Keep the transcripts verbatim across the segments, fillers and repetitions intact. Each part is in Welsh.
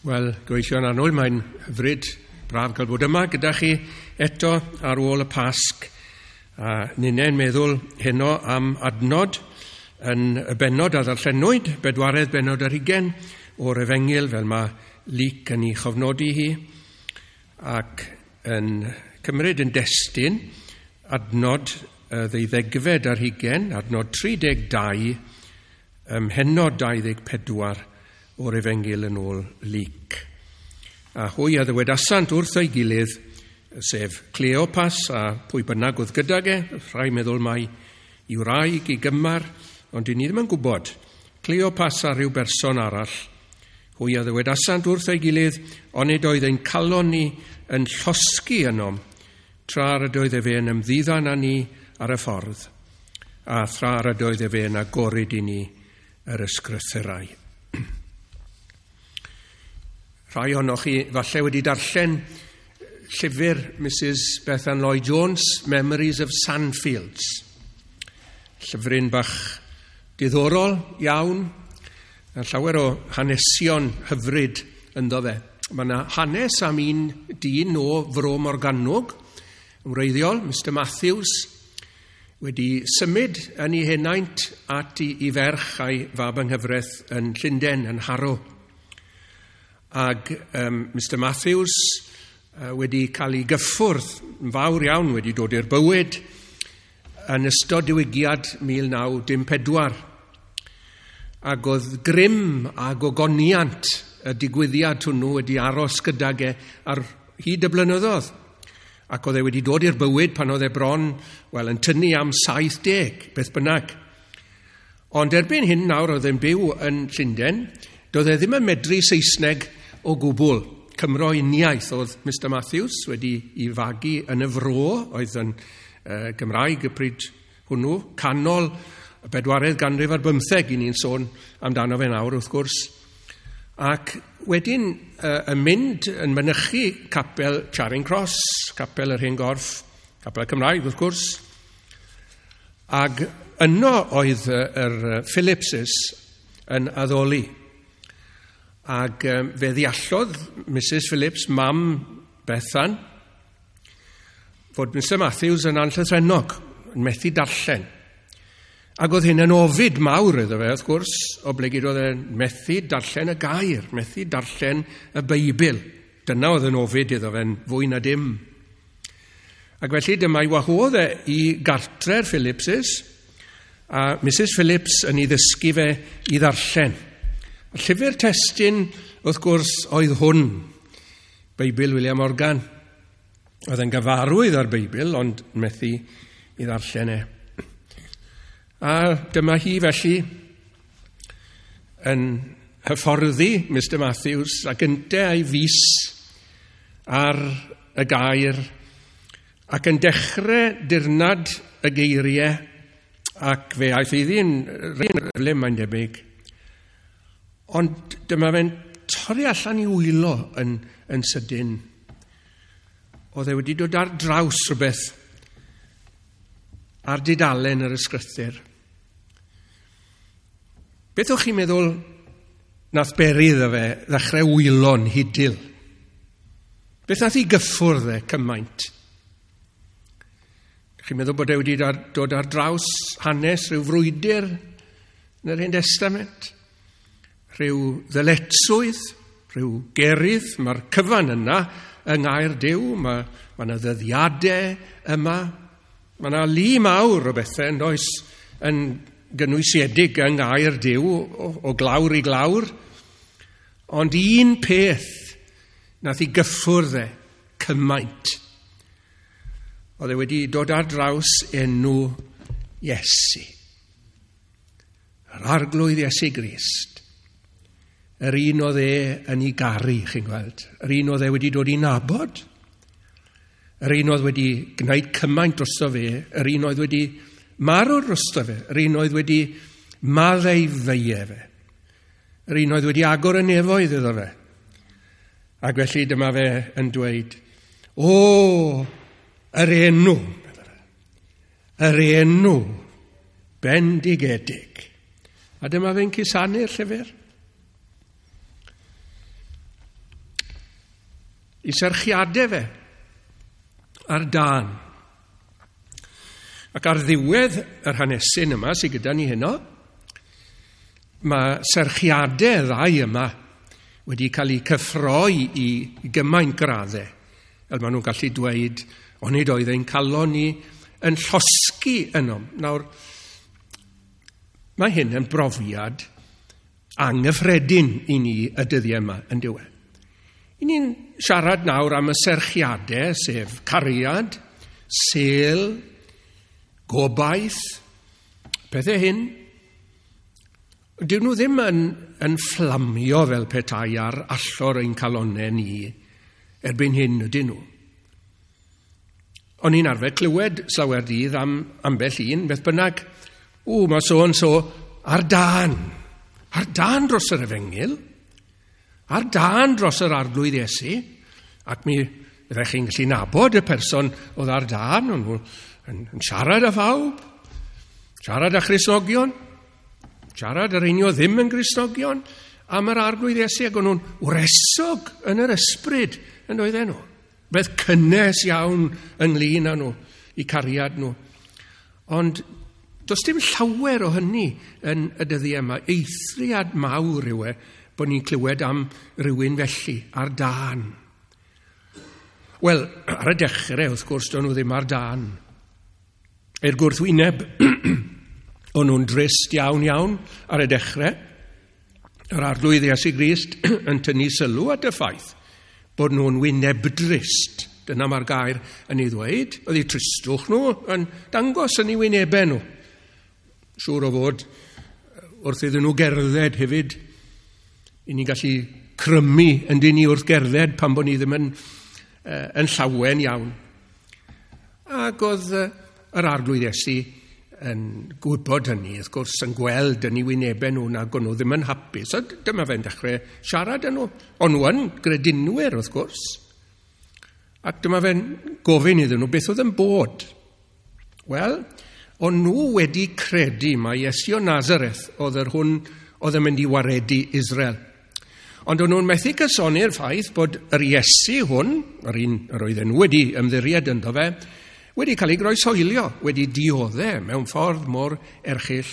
Wel, gyfeillion annwyl, mae'n hyfryd braf cael bod yma gyda chi eto ar ôl y Pasg. A ninnau'n meddwl heno am adnod yn y bennod a ddarllenwyd, bedwaredd bennod ar hugain o'r Efengyl, fel mae Luc yn ei chofnodi hi, ac yn cymryd yn destun adnod y ddeuddegfed ar hugain, adnod tri deg dau, ym mhennod dau ddeg pedwar o'r Efengyl yn ôl Luc. A hwy a ddywedasant wrth ei gilydd, sef Cleopas a pwy bynnag oedd gydag e, rhai meddwl mai i wraig i gymar, ond dyn ni ddim yn gwybod. Cleopas a rhyw berson arall, hwy a ddywedasant wrth ei gilydd, onid oedd ein calon ni yn llosgi ynom, tra yr ydoedd efe yn ymddiddan â ni ar y ffordd, a thra yr ydoedd efe yn agorid i ni yr ysgrythurau. Rhai ohonoch chi falle wedi darllen llyfr Missus Bethan Lloyd Jones, Memories of Sandfields. Llyfryn bach diddorol iawn, a llawer o hanesion hyfryd ynddo fe. Mae yna hanes am un dyn o Fro Morgannwg, yn wreiddiol, Mister Matthews, wedi symud yn ei henaint at i, i ferch a'i fab yng nghyfraith yn Llundain, yn Harrow. Ag um, Mister Matthews uh, wedi cael ei gyffwrdd yn fawr iawn, wedi dod i'r bywyd yn ystod diwygiad mil naw dim pedwar. Ac oedd grym a gogoniant y digwyddiad hwnnw wedi aros gydag e ar hyd y blynyddoedd. Ac oedd e wedi dod i'r bywyd pan oedd e bron, wel, yn tynnu am saith deg, beth bynnag. Ond erbyn hyn nawr oedd e'n byw yn Llundain, doedd e ddim yn medru Saesneg o gwbl. Cymro uniaith oedd Mister Matthews wedi ei fagu yn y fro, oedd yn uh, Gymraeg y pryd hwnnw, canol y bedwaredd ganrif ar bymtheg, i ni'n sôn amdano fe nawr wrth gwrs. Ac wedyn uh, yn mynd yn mynychu capel Charing Cross, capel yr Hen Gorff, capel Cymraeg wrth gwrs. Ac yno oedd yr Phillipses yn addoli. Ac um, fe ddeallodd Missus Phillips, mam Bethan, fod Mister Matthews yn anllythrennog, yn methu darllen. Ac oedd hyn yn ofid mawr iddo fe, wrth gwrs, oblegid oedd e'n methu darllen y gair, methu darllen y Beibl. Dyna oedd yn ofid iddo fe'n fwy na dim. Ac felly dyma ei wahodd e i gartre'r Phillipses, a Missus Phillips yn ei ddysgu fe i ddarllen. Y llyfr testun, wrth gwrs, oedd hwn, Beibl William Morgan. Oedd yn gyfarwydd â'r Beibl, ond methu i ddarllen e. A dyma hi felly yn hyfforddi Mister Matthews ac ynte a'i fys ar y gair ac yn dechrau dirnad y geiriau, ac fe aeth iddi'n rhywle mae'n debyg. Ond dyma fe'n torri allan i wylo yn, yn sydyn. Oedd e wedi dod ar draws rhywbeth ar dudalen yr ysgrythur. Beth o'ch chi'n meddwl nath beri iddo fe ddechrau wylo'n hidil? Beth nath i gyffwrdd e cymaint? Chi'n meddwl bod e wedi dod ar draws hanes rhyw frwydr yn yr Hen Testament? Rhyw ddyletswydd, rhyw gerydd, mae'r cyfan yna yng ngair Duw, mae, mae yna ddyddiadau yma, mae yna lu mawr o bethau yn does yn gynwysiedig yng ngair Duw o, o glawr i glawr, ond un peth nath i gyffwrdd e cymaint. Oedd e wedi dod ar draws enw Iesu. Yr Arglwydd Iesu Grist. Yr un oedd e yn ei garu, chi'n gweld. Yr un oedd e wedi dod i nabod. Yr un oedd wedi gwneud cymaint drosto fe. Yr un oedd wedi marw drosto fe. Yr un oedd wedi maddau feie fe. Yr un oedd wedi agor y nefoedd iddo fe. Ac felly dyma fe yn dweud, o, yr enw, yr enw bendigedig. A dyma fe'n cusanu'r llyfr. I serchiadau fe ar dân. Ac ar ddiwedd yr hanesyn yma sydd gyda ni heno, mae serchiadau ddau yma wedi cael eu cyffroi i gymaint graddau. Fel maen nhw'n gallu dweud, onid oedd ein calon ni yn llosgi yno. Nawr, mae hyn yn brofiad anghyffredin i ni y dyddiau yma yn diwedd. I ni'n siarad nawr am y serchiadau, sef cariad, sel, gobaith, pethau hyn. Dyn nhw ddim yn, yn fflamio fel petai ar allor ein calonnau ni erbyn hyn ydyn nhw. O'n i'n arfer clywed slawer dydd am ambell un, beth bynnag, ww, mae so yn so ar dân. Ar dân dros yr efengyl, ar dân dros yr arglwydd Iesu, ac mi fyddech chi'n gallu nabod y person oedd ar dân, o'n nhw yn, yn siarad â phawb, siarad â Christnogion, siarad yr un oedd ddim yn Gristnogion am yr arglwydd Iesu, ac o'n nhw'n wresog yn yr ysbryd yn oedden nhw. Beth cynnes iawn ynglyn â nhw, i cariad nhw. Ond does dim llawer o hynny yn y dyddiau yma. Eithriad mawr yw e bod ni'n clywed am rywun felly, ar dân. Wel, ar y dechrau, wrth gwrs, do'n nhw ddim ar dân. I'r gwrthwyneb, o'n nhw'n drist iawn iawn ar y dechrau. Yr arglwydd Iesu Grist yn tynnu sylw at y ffaith bod nhw'n wynebdrist. Dyna mae'r gair yn ei ddweud. Oedd eu tristwch nhw yn dangos yn eu wynebau nhw. Siŵr o fod wrth iddyn nhw gerdded hefyd, i ni'n gallu crymu yn dyn ni wrth gerdded pan bod ni ddim yn, uh, yn llawen iawn. Ac oedd uh, yr arglwydd Iesu yn gwybod hynny, wrth gwrs, yn gweld yn eu wynebau nhw nag o'n nhw ddim yn hapus. So dyma fe'n dechrau siarad â nhw. O'n nhw yn gredinwyr, wrth gwrs. Ac dyma fe'n gofyn iddyn nhw beth oedd yn bod. Wel, o'n nhw wedi credu mai Iesu o Nazareth oedd yr hwn oedd yn mynd i waredu Israel. Ond o'n nhw'n methu cysoni'r ffaith bod yr Iesu hwn, yr un yr oedden nhw wedi ymddiried ynddo fe, wedi cael ei groeshoelio, wedi dioddef mewn ffordd mor erchyll.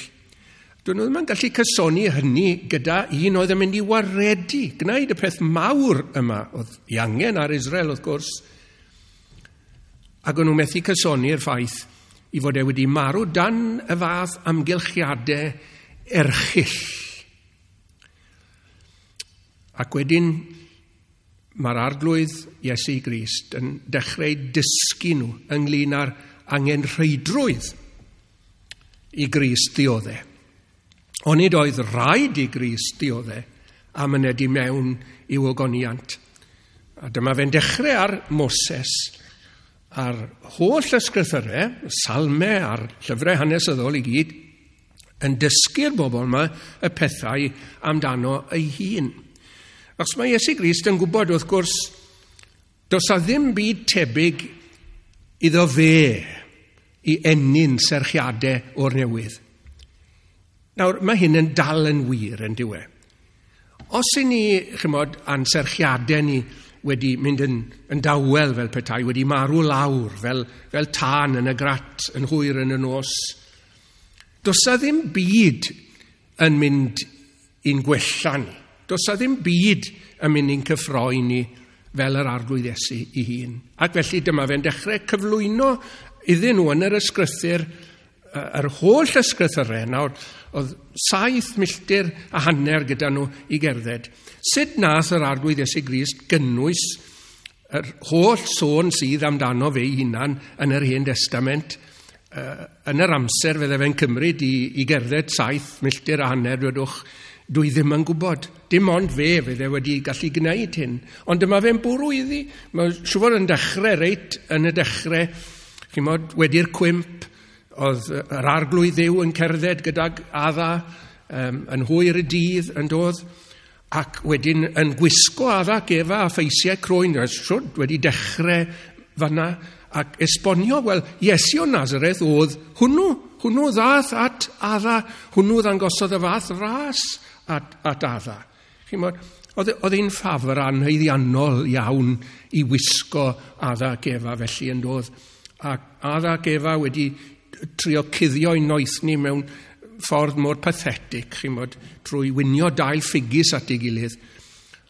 Dyn nhw ddim yn gallu cysoni hynny gyda un oedd yn mynd i waredu, gwneud y peth mawr yma, oedd ei angen ar Israel wrth gwrs. Ac o'n nhw methu cysoni'r ffaith i fod e wedi marw dan y fath amgylchiadau erchyll. Ac wedyn mae'r arglwydd Iesu Grist yn dechrau dysgu nhw ynglyn â'r angenrheidrwydd i Grist ddioddef. Onid oedd rhaid i Grist ddioddef a myned i mewn i'w ogoniant. A dyma fe'n dechrau ar Moses, a'r holl ysgrythyrau, salmau a'r llyfrau hanesyddol i gyd, yn dysgu'r bobl yma y pethau amdano ei hun. Achos mae Iesu Grist yn gwybod, wrth gwrs, does a ddim byd tebyg iddo fe i ennyn serchiadau o'r newydd. Nawr, mae hyn yn dal yn wir yn dyw e. Os i ni, chymod, a'n serchiadau ni wedi mynd yn, yn dawel fel petai, wedi marw lawr fel, fel tân yn y grat yn hwyr yn y nos, does a ddim byd yn mynd i'n gwella ni. Does a ddim byd yn mynd i'n cyffroi ni fel yr arglwydd Iesu ei hun. Ac felly dyma fe'n dechrau cyflwyno iddyn nhw yn yr ysgrythur, yr holl ysgrythyrau. Nawr, oedd saith milltir a hanner gyda nhw i gerdded. Sut nath yr arglwydd Iesu Grist gynnwys yr holl sôn sydd amdano fe ei hunan yn yr Hen Testament, yn yr amser fydde fe'n cymryd i, i gerdded saith milltir a hanner, dwedwch, dwi ddim yn gwybod. Dim ond fe fydde wedi gallu gwneud hyn. Ond dyma fe'n bwrw iddi. Mae siŵr fod yn dechrau reit yn y dechrau, chimod, wedi'r cwymp, oedd yr arglwydd Dduw yn cerdded gydag Adda um, yn hwyr y dydd yn dod, ac wedyn yn gwisgo Adda ac Efa a ffeisiau croen, siwr wedi dechrau fanna, ac esbonio, wel, Iesu o Nazareth oedd hwnnw, hwnnw ddath at Adda, hwnnw ddangosodd y fath ras at, at Adda. Chimod, Oedd, oedd hi'n ffafr anhaeddiannol iawn i wisgo Adda ac Efa felly yn doedd. Ac Adda ac Efa wedi trio cuddio eu noethni mewn ffordd mor pathetic, chi'n bod, trwy winio dail ffigys at ei gilydd.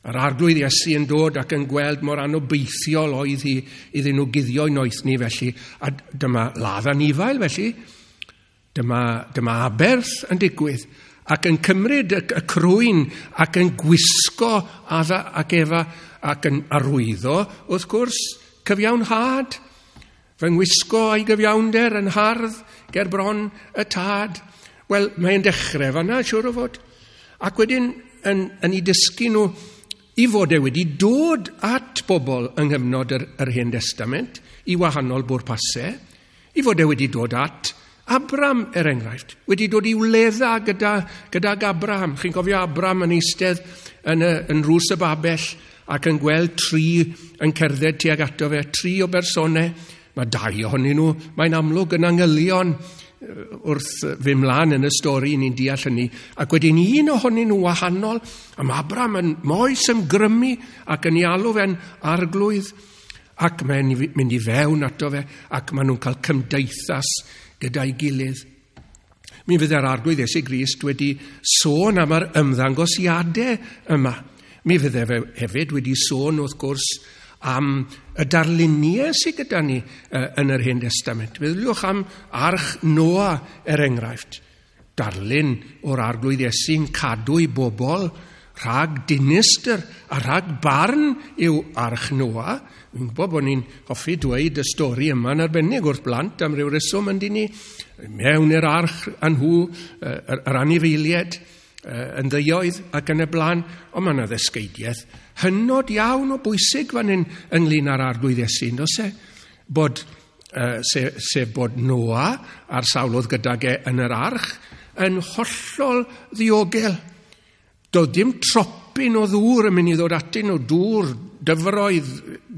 A'r Arglwydd Iesu yn dod ac yn gweld mor anobeithiol oedd hi iddyn nhw guddio eu noethni felly. A dyma ladd anifail felly. Dyma, dyma aberth yn digwydd ac yn cymryd y, y crwyn ac yn gwisgo Adda ac Efa ac yn arwyddo, wrth gwrs, cyfiawnhad. Fy ngwisgo a'i gyfiawnder yn hardd ger bron y tad. Wel, mae'n dechrau fanna, siŵr o fod. Ac wedyn yn, yn ei dysgu nhw i fod e wedi dod at bobl yng nghyfnod yr, yr Hen Testament i wahanol bwrpasau, i fod e wedi dod at Abram, er enghraifft, wedi dod i wledda gyda, gydag Abraham. Chi'n cofio Abram yn eistedd yn, y, yn rws y babell ac yn gweld tri yn cerdded tuag ato fe, tri o bersonau. Mae dau ohonyn nhw, mae'n amlwg yn angylion wrth fy mlaen yn y stori, ni'n deall hynny. Ac wedyn un ohonyn nhw wahanol, a mae Abram yn moes ymgrymu ac yn ei alw fe'n arglwydd, ac mae'n mynd i fewn ato fe, ac maen nhw'n cael cymdeithas gyda'i gilydd. Mi fydde'r Arglwydd Iesu Grist wedi sôn am yr ymddangosiadau yma. Mi fydde fe hefyd wedi sôn, wrth gwrs, am y darluniau sydd gyda ni yn yr Hen Testament. Meddyliwch am Arch Noa, er enghraifft. Darlun o'r Arglwydd Iesu'n cadw ei bobl rhag dinistr a rhag barn yw Arch Noa. Fi'n gwybod bod ni'n hoffi dweud y stori yma yn arbennig wrth blant am ryw reswm yn dyn ni. Mewn i'r arch â nhw, yr, yr anifeiliaid, yn ddeuoedd ac yn y blaen, ond mae yna ddysgeidiaeth hynod iawn o bwysig fan hyn ynglyn â'r Arglwydd Iesu, does e? Bod, uh, sef, sef bod Noa a'r sawl oedd gydag e yn yr arch yn hollol ddiogel. Doedd dim tropyn o ddŵr yn mynd i ddod atyn nhw, dŵr, dyfroedd,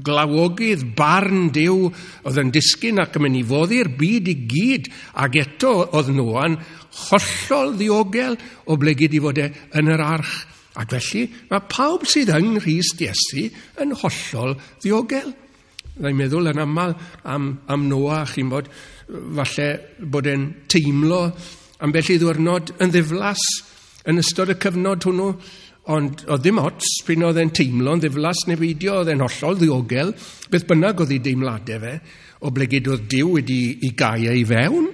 glawogydd, barn Duw oedd yn disgyn ac yn mynd i foddi'r byd i gyd, ac eto oedd Noa'n hollol ddiogel o blegid i fod e yn yr arch. Ac felly mae pawb sydd yng Nghrist Iesu yn hollol ddiogel. Dwi'n meddwl yn aml am, am Noa, chi'n bod, falle bod e'n teimlo ambell i ddiwrnod yn ddiflas yn ystod y cyfnod hwnnw, ond oedd ddim ots pryd oedd e'n teimlo yn ddiflas neu beidio, oedd e'n hollol ddiogel, beth bynnag oedd ei deimladau fe, o blegid oedd Duw wedi i gau ei fewn,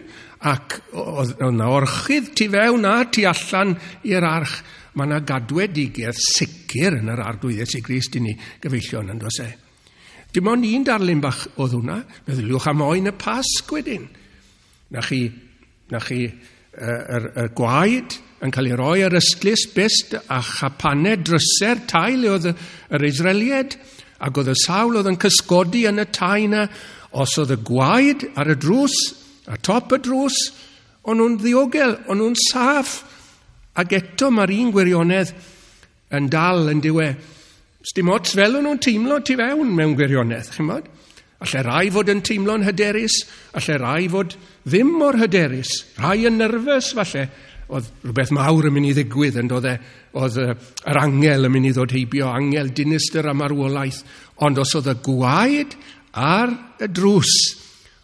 ac oedd yna orchudd tu fewn a tu allan i'r arch. Mae yna gadwedigaeth sicr yn yr Arglwydd Iesu Grist i ni, gyfeillion, yn does e? Dim ond un darlun bach oedd hwnna. Meddyliwch am oen y Pasg wedyn. Na chi, na chi y, y, y gwaed yn cael ei roi ar ystlys byst a chapanau dryser tai le oedd yr Israeliaid, ac oedd y sawl oedd yn cysgodi yn y tai yna, os oedd y gwaed ar y drws, a top y drws, o'n nhw'n ddiogel, o'n nhw'n saff. Ac eto mae'r un gwirionedd yn dal yn diwe. Sdim ots fel o'n nhw'n teimlo tu fewn mewn gwirionedd, chi'n bod? Alle rai fod yn teimlo'n hyderus, alle rai fod ddim mor hyderus, rai yn nerfus falle. Oedd rhywbeth mawr yn mynd i ddigwydd, yn doedd e, oedd yr angel yn mynd i ddod heibio, angel dinistr a marwolaeth. Ond os oedd y gwaed ar y drws,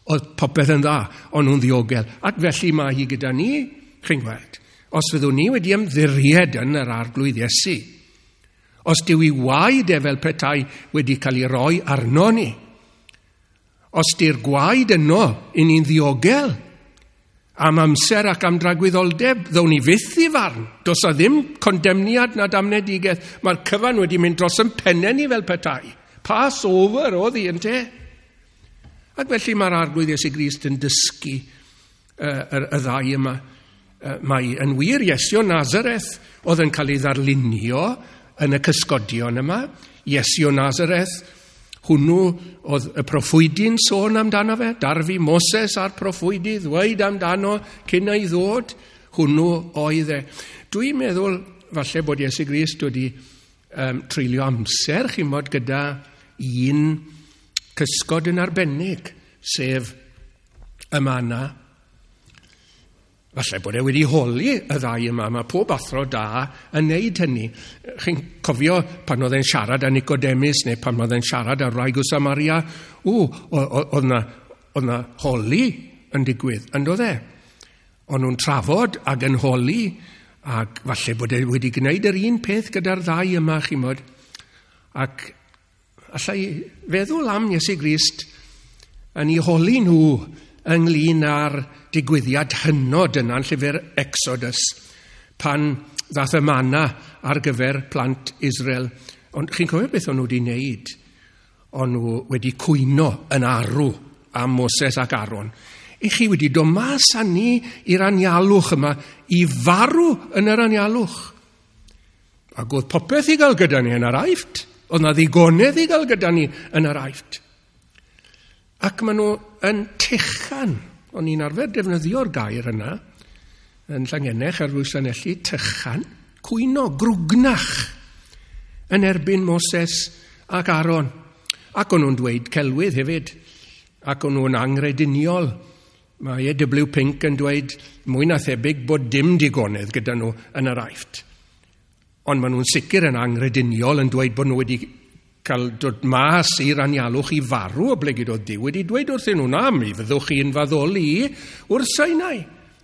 oedd popeth yn dda, o'n nhw'n ddiogel. Ac felly mae hi gyda ni, chi'n gweld, os fyddwn ni wedi ymddiried yn yr Arglwydd Iesu, os dyw ei waed e fel petai wedi cael ei roi arno ni, os di'r gwaed yno i ni'n ddiogel, am amser ac am dragwyddoldeb, ddown ni fyth i farn. Does a ddim condemniad na damnedigaeth. Mae'r cyfan wedi mynd dros yn pennau ni fel petai. Pass over oedd hi, ynte? Ac felly mae'r Arglwydd Iesu Grist yn dysgu uh, y, y ddau yma. Uh, mae yn wir Iesu o Nazareth oedd yn cael ei ddarlunio yn y cysgodion yma. Iesu o Nazareth, hwnnw oedd y proffwydi'n sôn amdano fe, darfu Moses a'r proffwydi ddweud amdano cyn ei ddod, hwnnw oedd e. Dwi'n meddwl falle bod Iesu Grist wedi um, treulio amser, chi'n bod, gyda un cysgod yn arbennig, sef y mana. Falle bod e wedi holi y ddau yma, mae pob athro da yn neud hynny. Chi'n cofio pan oedd e'n siarad â Nicodemus neu pan oedd e'n siarad â'r wraig o Samaria, ww, oedd na, oedd na holi yn digwydd, yn doedd e? O'n nhw'n trafod ac yn holi, ac falle bod e wedi gwneud yr un peth gyda'r ddau yma, chi'n bod. Ac allai feddwl am Iesu Grist yn ei holi nhw ynglyn â'r digwyddiad hynod yna yn llyfr Exodus, pan ddath y manna ar gyfer plant Israel. Ond chi'n cofio beth o'n nhw wedi wneud? O'n nhw wedi cwyno yn arw am Moses ac Aaron. I chi wedi dod mas â ni i'r anialwch yma, i farw yn yr anialwch. Ac oedd popeth i gael gyda ni yn yr Aifft. Oedd na ddigonedd i gael gyda ni yn yr Aifft. Ac maen nhw yn tychan. O'n i'n arfer defnyddio'r gair yna yn Llangennech ar bwys Llanelli, tychan, cwyno, grwgnach yn erbyn Moses ac Aaron. Ac o'n nhw'n dweud celwydd hefyd. Ac o'n nhw'n angrediniol. Mae E W Pink yn dweud mwy na thebyg bod dim digonedd gyda nhw yn yr Aifft. Ond maen nhw'n sicr yn angrediniol yn dweud bod nhw wedi cael dod mas i'r anialwch i farw, oblegid oedd Duw wedi dweud wrthyn nhw, na, mi fyddwch chi'n faddoli wrth Sinai.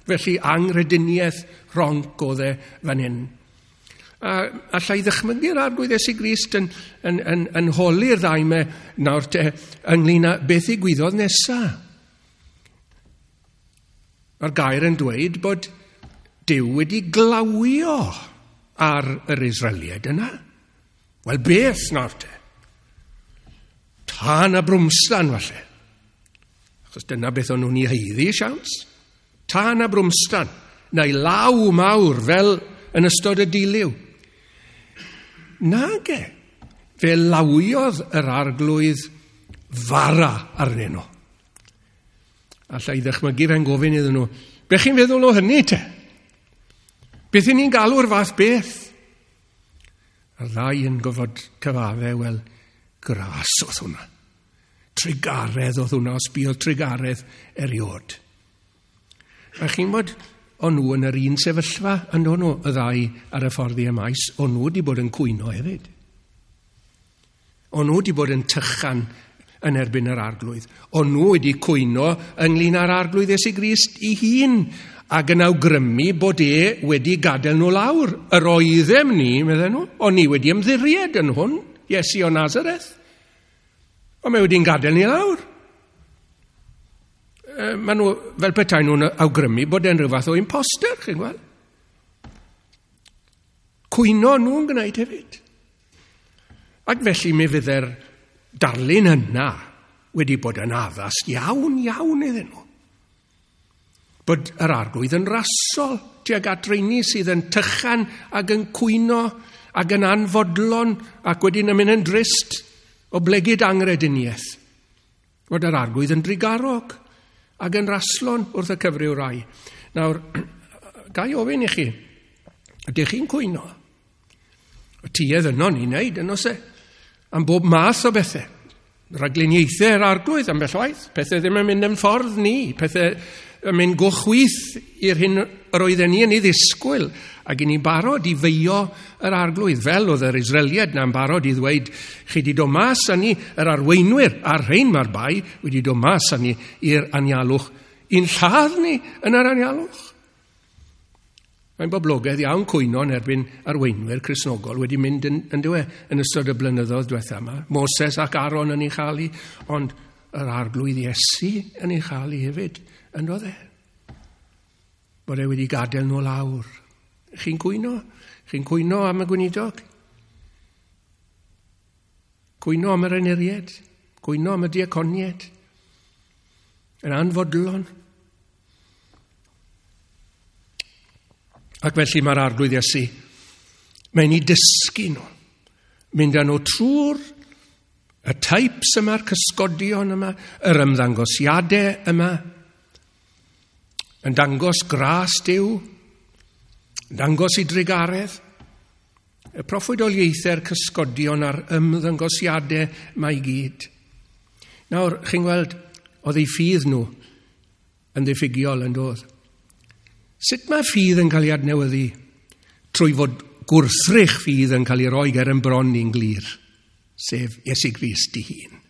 Felly angrediniaeth ronc oedd e fan hyn. A allai ddychmygu'r Arglwydd Iesu Grist yn, yn, yn, yn holi'r ddau me nawr te ynglyn â beth ddigwyddodd nesa. Mae'r gair yn dweud bod Duw wedi glawio ar yr Israeliaid yna. Wel, beth nawr te? Tân a brwmstan, falle. Achos dyna beth o'n nhw'n ei haeddu, siawns. Tân a brwmstan, neu law mawr fel yn ystod y dilyw. Nage, fe lawiodd yr Arglwydd fara arnyn nhw. Alla i ddychmygu fe'n gofyn iddyn nhw, be chi'n feddwl o hynny te? Beth i ni'n galw'r fath beth? A'r ddau yn gofod cyfadde, wel, gras oedd hwnna. Trugaredd oedd hwnna, os buodd trugaredd eriod. A chi'n bod, o'n nhw yn yr un sefyllfa, yn o'n nhw, y ddau ar y ffordd i Emaus, o'n nhw wedi bod yn cwyno hefyd. O'n nhw wedi bod yn tychan yn erbyn yr Arglwydd. O'n nhw wedi cwyno ynglyn â'r Arglwydd Iesu Grist ei hun, ac yn awgrymu bod e wedi gadael nhw lawr. Yr oeddem ni, medden nhw, o'n ni wedi ymddiried yn hwn, Iesu o Nazareth. Ond mae wedi'n gadael ni lawr. E, maen nhw, fel petai nhw'n awgrymu bod e'n rhyw fath o imposter, chi'n gweld? Cwyno nhw'n gwneud hefyd. Ac felly mi fydde'r darlun yna wedi bod yn addas iawn, iawn iddyn nhw. Bod yr Arglwydd yn rasol tuag at reini sydd yn tychan ac yn cwyno ac yn anfodlon ac wedyn yn mynd yn drist o blegid angrediniaeth. Bod yr Arglwydd yn drugarog ac yn raslon wrth y cyfryw rai. Nawr, ga i ofyn i chi, ydych chi'n cwyno? Y tuedd yno ni'n neud, yno se, am bob math o bethau. Rhagluniaethau yr Arglwydd am bell waith. Pethau ddim yn mynd yn ffordd ni, pethau yn mynd go chwith i'r hyn yr oedden ni yn ei ddisgwyl, ac i ni'n barod i feio yr Arglwydd, fel oedd yr Israeliaid na'n barod i ddweud, chi wedi dod mas â ni, yr arweinwyr a'r rhain mae'r bai, wedi dod mas â ni i'r anialwch, i'n lladd ni yn yr anialwch. Mae'n boblogaidd iawn cwyno yn erbyn arweinwyr Cristnogol wedi mynd yn, yn, dywe, yn ystod y blynyddoedd diwetha yma. Moses ac Aaron yn ei chael hi, ond yr Arglwydd Iesu yn ei chael hi hefyd, yn doedd e? Bod e wedi gadael nhw lawr. Chi'n cwyno? Chi'n cwyno am y gweinidog? Cwyno am yr enuried? Cwyno am y diaconiaid? Yn anfodlon? Ac felly mae'r Arglwydd Iesu, mae'n ei dysgu nhw. Mynd â nhw trwy'r y types yma'r cysgodion yma, yr ymddangosiadau yma, yn dangos gras Duw, yn dangos ei drugaredd, y proffwydoliaethau'r cysgodion a'r ymddangosiadau mae i gyd. Nawr, chi'n gweld, oedd eu ffydd nhw yn ddiffygiol yn doedd. Sut mae ffydd yn cael ei adnewyddu? Trwy fod gwrthrych ffydd yn cael ei roi ger yn bron ni'n glir, sef Iesu Grist ei hun.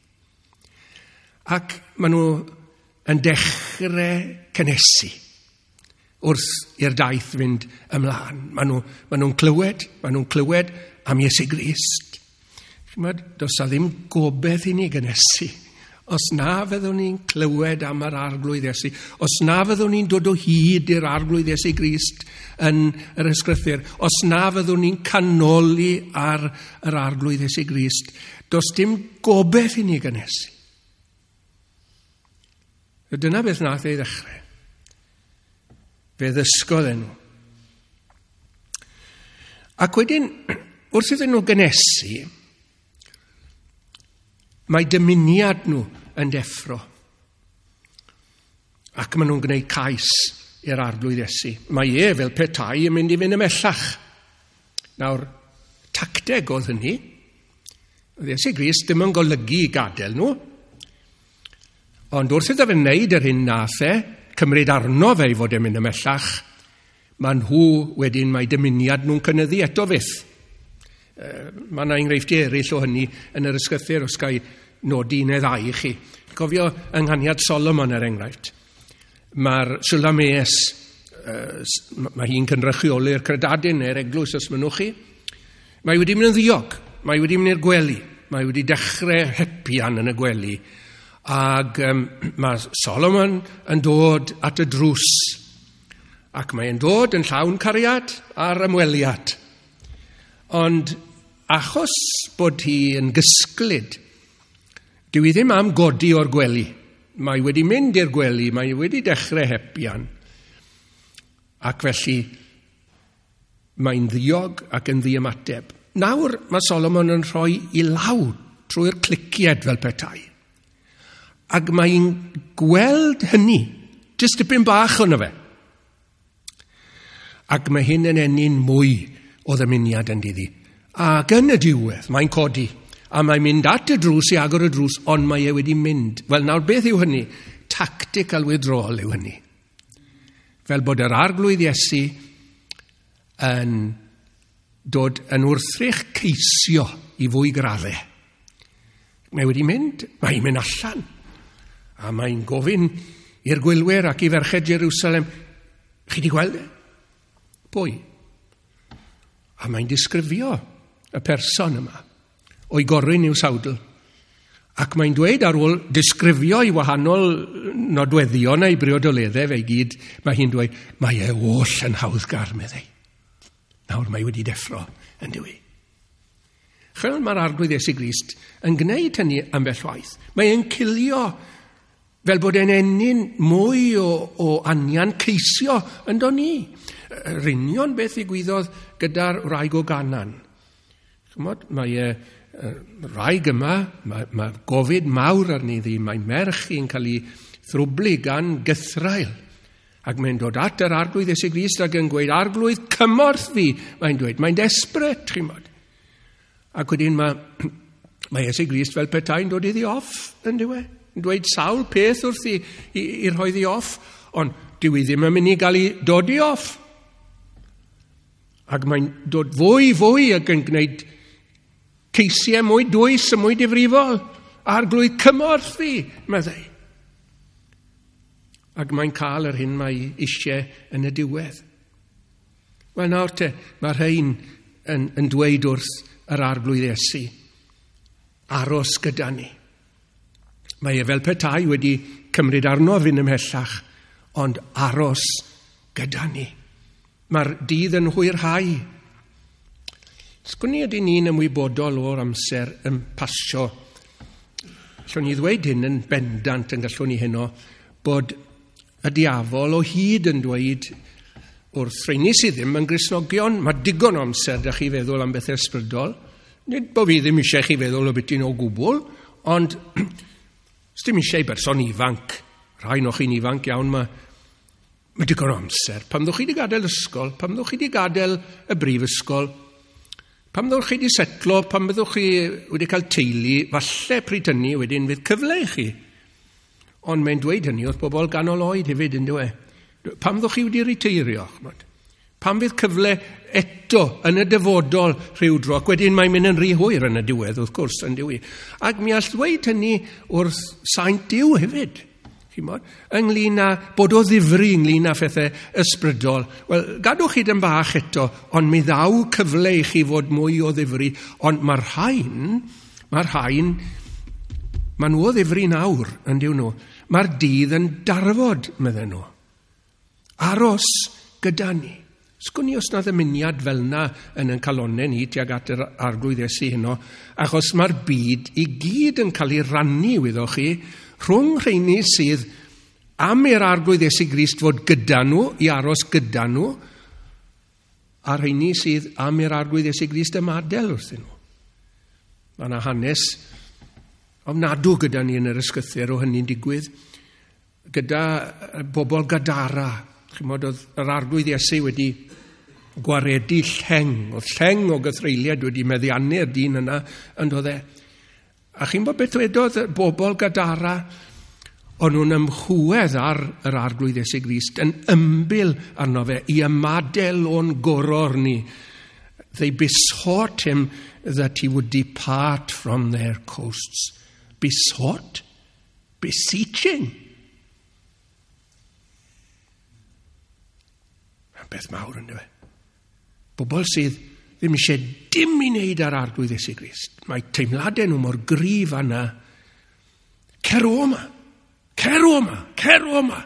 Ac maen nhw yn dechrau cynhesu wrth i'r daith fynd ymlaen. Maen nhw, maen nhw'n clywed, maen nhw'n clywed am Iesu Grist. Chymod, does a ddim gobeith i ni gynhesu. Os na fyddwn ni'n clywed am yr Arglwydd Iesu, os na fyddwn ni'n dod o hyd i'r Arglwydd Iesu Grist yn yr Ysgrythur, os na fyddwn ni'n canoli ar yr Arglwydd Iesu Grist, does dim gobeith i ni gynhesu. Dyna beth nath ei ddechrau. Fe ddysgodd e nhw. Ac wedyn, wrth iddyn nhw gynhesu, mae dymuniad nhw yn deffro. Ac maen nhw'n gwneud cais i'r Arglwydd Iesu. Mae e fel petai yn mynd i fynd ymhellach. Nawr, tacteg oedd hynny. Oedd Iesu Grist ddim yn golygu i gadael nhw. Ond wrth iddo fe wneud yr hyn nath e, cymryd arno fe i fod e'n mynd ymhellach, mae nhw wedyn, mae dymuniad nhw'n cynyddu eto fyth. Mae yna enghreifftiau eraill o hynny yn yr ysgrythur, os ga i nodi un neu ddau i chi. Cofio yng Nghaniad Solomon er enghraifft. Mae'r Sulames, mae hi'n cynrychioli'r credadun neu'r eglwys os mynnwch chi. Mae wedi mynd yn ddiog, mae wedi mynd i'r gwely, mae wedi dechrau hepian yn y gwely. Ac um, mae Solomon yn dod at y drws. Ac mae'n dod yn llawn cariad a'r ymweliad. Ond achos bod hi yn gysglyd, dyw hi ddim am godi o'r gwely. Mae wedi mynd i'r gwely, mae wedi dechrau hepian. Ac felly mae'n ddiog ac yn ddiymateb. Nawr mae Solomon yn rhoi i law trwy'r clicied fel petai. Ac mae'n gweld hynny, jyst dipyn bach ono fe. Ac mae hyn yn ennyn mwy o ddymuniad yn diddi. Ac yn y diwedd, mae'n codi. A mae'n mynd at y drws i agor y drws, ond mae e wedi mynd. Wel, nawr beth yw hynny? Tactical withdrawal yw hynny. Fel bod yr Arglwydd Iesu yn dod yn wrthrych ceisio i fwy graddau. Mae wedi mynd, mae'n mynd allan. A mae'n gofyn i'r gwylwyr ac i ferched Jerusalem, chi di gweld e? Pwy? A mae'n disgrifio y person yma o'i gorun i'w sawdl. Ac mae'n dweud ar ôl disgrifio i wahanol nodweddion a'i briodoleddau fe i gyd, mae hi'n dweud, mae e oll yn hawddgar, meddai. Nawr mae wedi deffro yn dywi. Chwel mae'r Arglwydd Iesu Grist yn gwneud hynny ambell waith. Mae e'n cilio fel bod e'n ennyn mwy o, o anian ceisio yndo ni. Yr union beth ddigwyddodd gyda'r wraig o Ganan. Chymod, mae e, wraig yma, mae, mae gofid mawr arni ddi, mae merch hi'n cael ei thrwblu gan gythraul. Ac mae'n dod at yr Arglwydd Iesu Grist ac yn gweud, Arglwydd, cymorth fi, mae'n dweud. Mae'n desperate, chymod. Ac wedyn mae, mae Iesu Grist fel petai'n dod iddi off, yn dyw e? Yn dweud sawl peth wrth i, i, i rhoi ddi off, ond dyw i ddim yn mynd i gael ei dod i off. Ac mae'n dod fwy, fwy ac yn gwneud ceisiau mwy dwys a mwy difrifol. Arglwydd, cymorth fi, meddai. Ac mae'n cael yr hyn mae eisiau yn y diwedd. Wel nawr te, mae rhain yn, yn dweud wrth yr Arglwydd Iesu, aros gyda ni. Mae e fel petai wedi cymryd arno fynd ymhellach, ond aros gyda ni. Mae'r dydd yn hwyrhau. Sgwn i ydy ni'n ymwybodol o'r amser yn pasio. Allwn ni ddweud hyn yn bendant yn gallwn ni heno, bod y diafol o hyd yn dweud wrth rheini sydd ddim yn Gristnogion, mae digon o amser da chi feddwl am bethau ysbrydol. Nid bod fi ddim eisiau chi feddwl o beth o gwbl, ond dim eisiau i berson ifanc, rhai o'ch chi'n ifanc iawn, mae, mae digon o amser. Pam ddwch chi wedi gadael ysgol, pam ddwch chi wedi gadael y brifysgol, pam ddwch chi wedi setlo, pam byddwch chi wedi cael teulu, falle pryd hynny wedyn fydd cyfle i chi. Ond mae'n dweud hynny wrth bobl ganol oed hefyd, yn dyw e? Pam ddwch chi wedi riteirio? Ch'mod? Pam fydd cyfle eto yn y dyfodol rhyw dro? Ac wedyn mae'n mynd yn rhy hwyr yn y diwedd, wrth gwrs, yn diwy. Ac mi all ddweud hynny wrth saint Duw hefyd. Ch'mod? Ynglyn â bod o ddifri ynglyn â phethau ysbrydol. Wel, gadwch chi dyn bach eto, ond mi ddaw cyfle i chi fod mwy o ddifri. Ond mae'r rhain, mae'r rhain, maen nhw o ddifri nawr, yn diw nhw. Mae'r dydd yn darfod, medden nhw. Aros gyda ni. Sgwn i os na ddymuniad fel yna yn ein calonnau ni tuag at yr Arglwydd Iesu heno, achos mae'r byd i gyd yn cael ei rannu, wyddoch chi, rhwng rheini sydd am i'r Arglwydd Iesu Grist fod gyda nhw, i aros gyda nhw, a rheini sydd am i'r Arglwydd Iesu Grist ymadael wrthyn nhw. Mae yna hanes ofnadw gyda ni yn yr ysgrythur o hynny'n digwydd, gyda bobl Gadara. Chimod, oedd yr Arglwydd Iesu wedi gwaredu lleng, oedd lleng o gythreuliad wedi meddiannu'r dyn yna, yn doedd e. A chi'n bod beth wedodd bobl Gadara? O'n nhw'n ymchwedd ar yr Arglwydd Iesu Grist, yn ymbil arno fe, i ymadael o'n goror ni. They besought him that he would depart from their coasts. Besought? Beseeching. Mae'n beth mawr yn dweud. Bobl sydd ddim eisiau dim i wneud ar Arglwydd Iesu Grist. Mae teimladau nhw mor gryf yna. Cer o yma! Cer o yma! Cer o yma!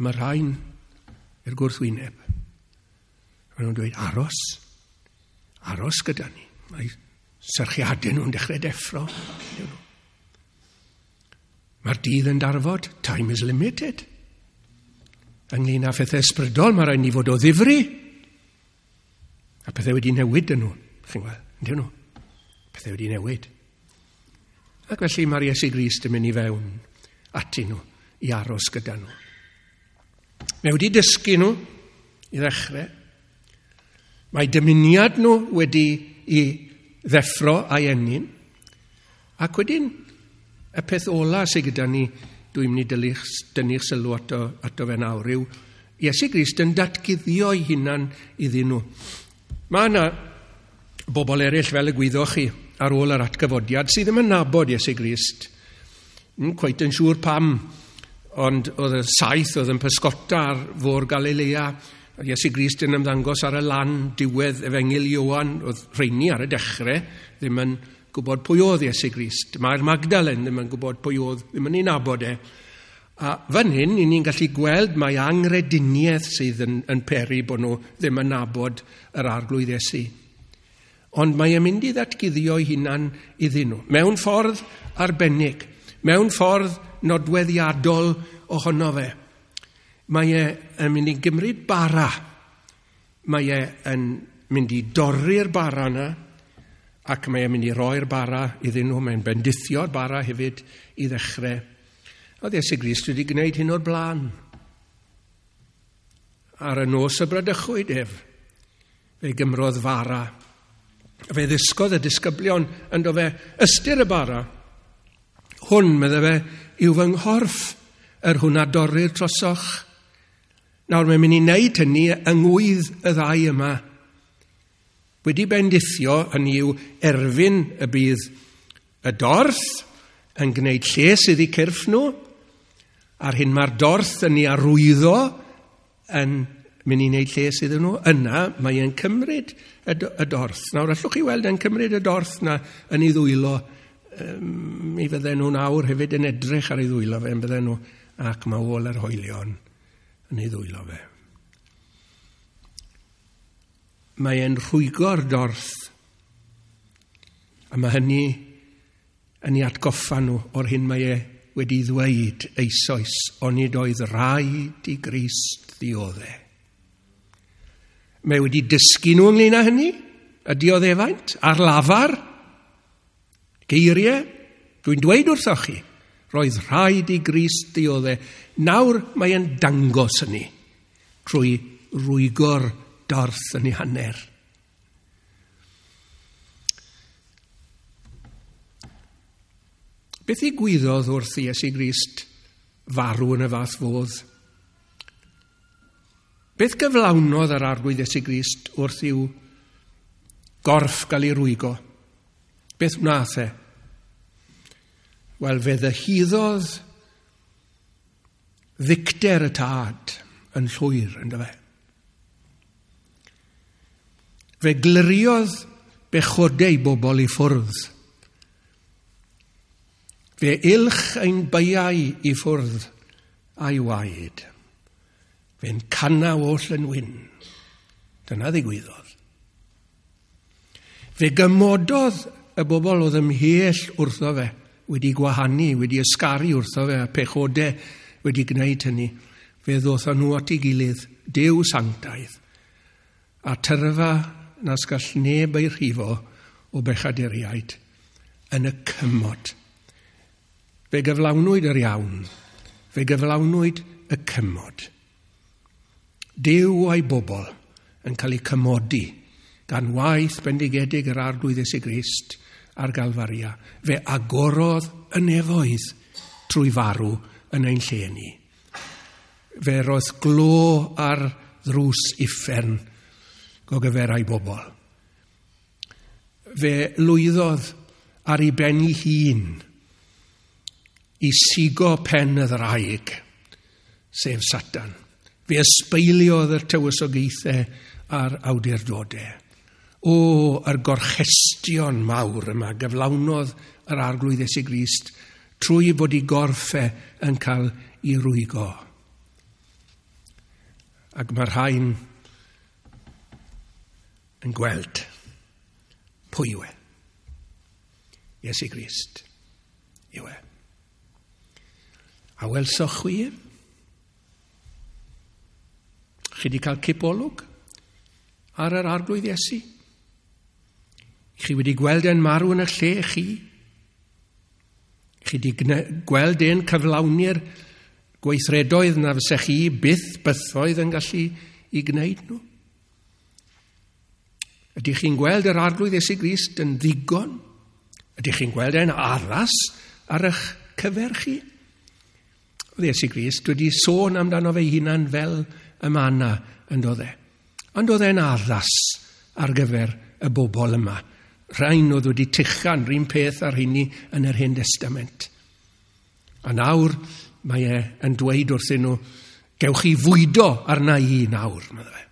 Mae rhain i'r gwrthwyneb. Maen nhw'n dweud, aros. Aros gyda ni. Mae serchiadau nhw'n dechrau deffro. Mae'r dydd yn darfod. Time is limited. Ynglyn â phethau ysbrydol, mae rhaid ni fod o ddifri. A pethau wedi newid yn nhw. Chi'n gweld, yndyn nhw. Pethau wedi newid. Ac felly mae'r Iesu Grist yn mynd i fewn atyn nhw, i aros gyda nhw. Mae wedi dysgu nhw i ddechrau. Mae dymuniad nhw wedi i ddeffro a'i ennyn. Ac wedyn, y peth ola sydd gyda ni, dwi'n mynd i dynnu'ch sylw ato, ato fe nawr, yw Iesu Grist yn datguddio ei hunan iddyn nhw. Mae yna bobl eraill, fel y gwyddoch chi, ar ôl yr atgyfodiad, sydd ddim yn nabod Iesu Grist. Yn cweit yn siŵr pam, ond oedd y saith oedd yn pysgota ar fôr Galilea, Iesu Grist yn ymddangos ar y lan diwedd Efengyl Ioan, oedd rheini ar y dechrau ddim yn gwybod pwy oedd Iesu Grist. Mae'r Magdalen ddim yn gwybod pwy oedd, ddim yn ei nabod e. A fan hyn, i ni'n gallu gweld mae angrediniaeth sydd yn, yn peri bod nhw ddim yn nabod yr Arglwydd Iesu. Ond mae e'n mynd i ddatguddio ei hunan iddyn nhw, mewn ffordd arbennig, mewn ffordd nodweddiadol ohono fe. Mae e yn mynd i gymryd bara. Mae e yn mynd i dorri'r bara yna, ac mae e'n mynd i roi'r bara iddyn nhw. Mae'n bendithio'r bara hefyd i ddechrau. Oedd Iesu Grist wedi gwneud hyn o'r blaen. Ar y nos y bradychwyd ef, fe gymrodd fara. Fe ddysgodd y disgyblion ynddo fe ystyr y bara. Hwn, medde fe, yw fy nghorff, yr hwn a dorrir trosoch. Nawr mae'n mynd i wneud hynny yng ngwydd y ddau yma. Wedi bendithio, hynny yw erfyn y bydd y dorth yn gwneud lles iddi cyrff nhw, a'r hyn mae'r dorth yn ei arwyddo yn mynd i wneud lles iddyn nhw, yna mae e'n cymryd y, y dorth. Nawr allwch chi weld e'n cymryd y dorth na yn ei ddwylo. Um, mi fydden nhw nawr hefyd yn edrych ar ei ddwylo fe, yn bydden nhw, ac mae ôl yr hoelion yn ei ddwylo fe. Mae e'n rhwygo'r dorth, a mae hynny yn ei atgoffa nhw o'r hyn mae e wedi ddweud eisoes, onid oedd rhaid i Grist ddioddef. Mae wedi dysgu nhw ynglyn â hynny, y dioddefaint, ar lafar, geiriau, dwi'n dweud wrthoch chi, roedd rhaid i Grist ddioddef. Nawr mae e'n dangos hynny trwy rwygo'r dorth yn ei hanner. Beth ddigwyddodd wrth Iesu Grist farw yn y fath fodd? Beth gyflawnodd yr Arglwydd Iesu Grist wrth i'w gorff gael ei rwygo? Beth wnaeth e? Wel, fe ddyhuddodd ddicter y tad yn llwyr, ynddo fe. Fe gliriodd bechodau bobl i ffwrdd. Fe ilch ein beiau i ffwrdd a'i waed. Fe'n canna oll yn wyn. Dyna ddigwyddodd. Fe gymododd y bobl oedd ymhell wrtho fe, wedi gwahanu, wedi ysgaru wrtho fe, a pechodau wedi gwneud hynny. Fe ddothon nhw at ei gilydd, Duw sanctaidd, a tyrfa nas gall neb ei rhifo o bechaduriaid yn y cymod. Fe gyflawnwyd yr iawn, fe gyflawnwyd y cymod. Duw a'i bobl yn cael eu cymodi gan waith bendigedig yr Arglwydd Iesu Grist ar Galfaria. Fe agorodd y nefoedd trwy farw yn ein lle ni. Fe roedd glo ar ddrws uffern gogyferau bobl. Fe lwyddodd ar ei ben ei hun i sigo pen y ddraig, sef Satan. Fe ysbeiliodd yr tywysogaethau a'r awdurdodau. O, yr gorchestion mawr yma gyflawnodd yr Arglwydd Iesu Grist trwy fod ei gorff e yn cael ei rwygo. Ac mae'r rhain yn gweld pwy yw e. Iesu Grist yw e. A welsoch chwi ef? Chi wedi cael cipolwg ar yr Arglwydd Iesu? Chi wedi gweld e'n marw yn y lle chi? Chi wedi gweld e'n cyflawni'r gweithredoedd na fysech chi byth bythoedd yn gallu i gwneud nhw? Ydych chi'n gweld yr Arglwydd Iesu Grist yn ddigon? Ydych chi'n gweld e'n addas ar eich cyfer chi? Oedd Iesu Grist wedi sôn amdano fe hunan fel y manna yn doedd e. Ond oedd e'n addas ar gyfer y bobl yma. Rhain oedd wedi tuchan rhywun peth ar hynny yn yr Hen Testament. A nawr mae e yn dweud wrthyn nhw, gewch chi fwydo arna i nawr, medde fe.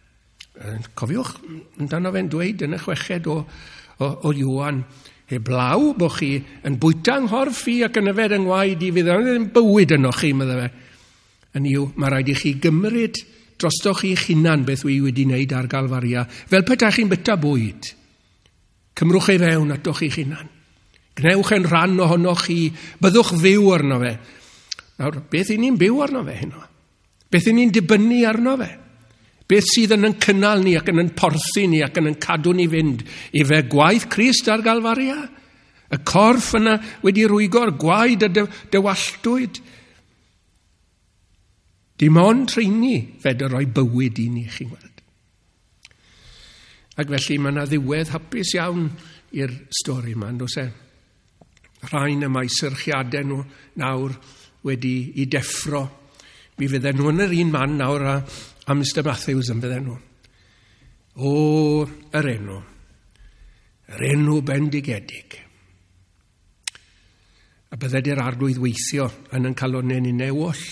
Cofiwch, amdano fe'n dweud yn y chweched o, o, o Ioan, heblaw bod chi yn bwyta yng nghorff i ac yn yfed yng ngwaed i, fydd ddim bywyd yno chi, medde fe. Yn yw, mae rhaid i chi gymryd drostoch chi'ch hunan beth wi wedi wneud ar Galfaria, fel petai chi'n byta bwyd. Cymrwch ei fewn atoch chi'ch hunan. Gnewch yn rhan ohonoch chi, byddwch fyw arno fe. Nawr, beth i ni'n byw arno fe heno? Beth i ni'n dibynnu arno fe? Beth sydd yn yn cynnal ni ac yn yn porthi ni ac yn yn cadw ni fynd? I fe gwaith Crist ar Galfaria? Y corff yna wedi rwygo'r gwaed a dywalltwyd. Dim ond rheini fedr roi bywyd i ni, chi'n gweld. Ac felly mae yna ddiwedd hapus iawn i'r stori yma, yn does e? Rhain y mae syrchiadau nhw nawr wedi i deffro. Mi fydden nhw yn yr un man nawr a, a Mister Matthews yn fydden nhw. O, yr enw. Yr enw bendigedig. A bydded i'r Arglwydd weithio yn yn calonnau ni oll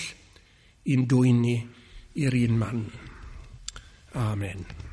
i'n dwyn ni i'r un man. Amen.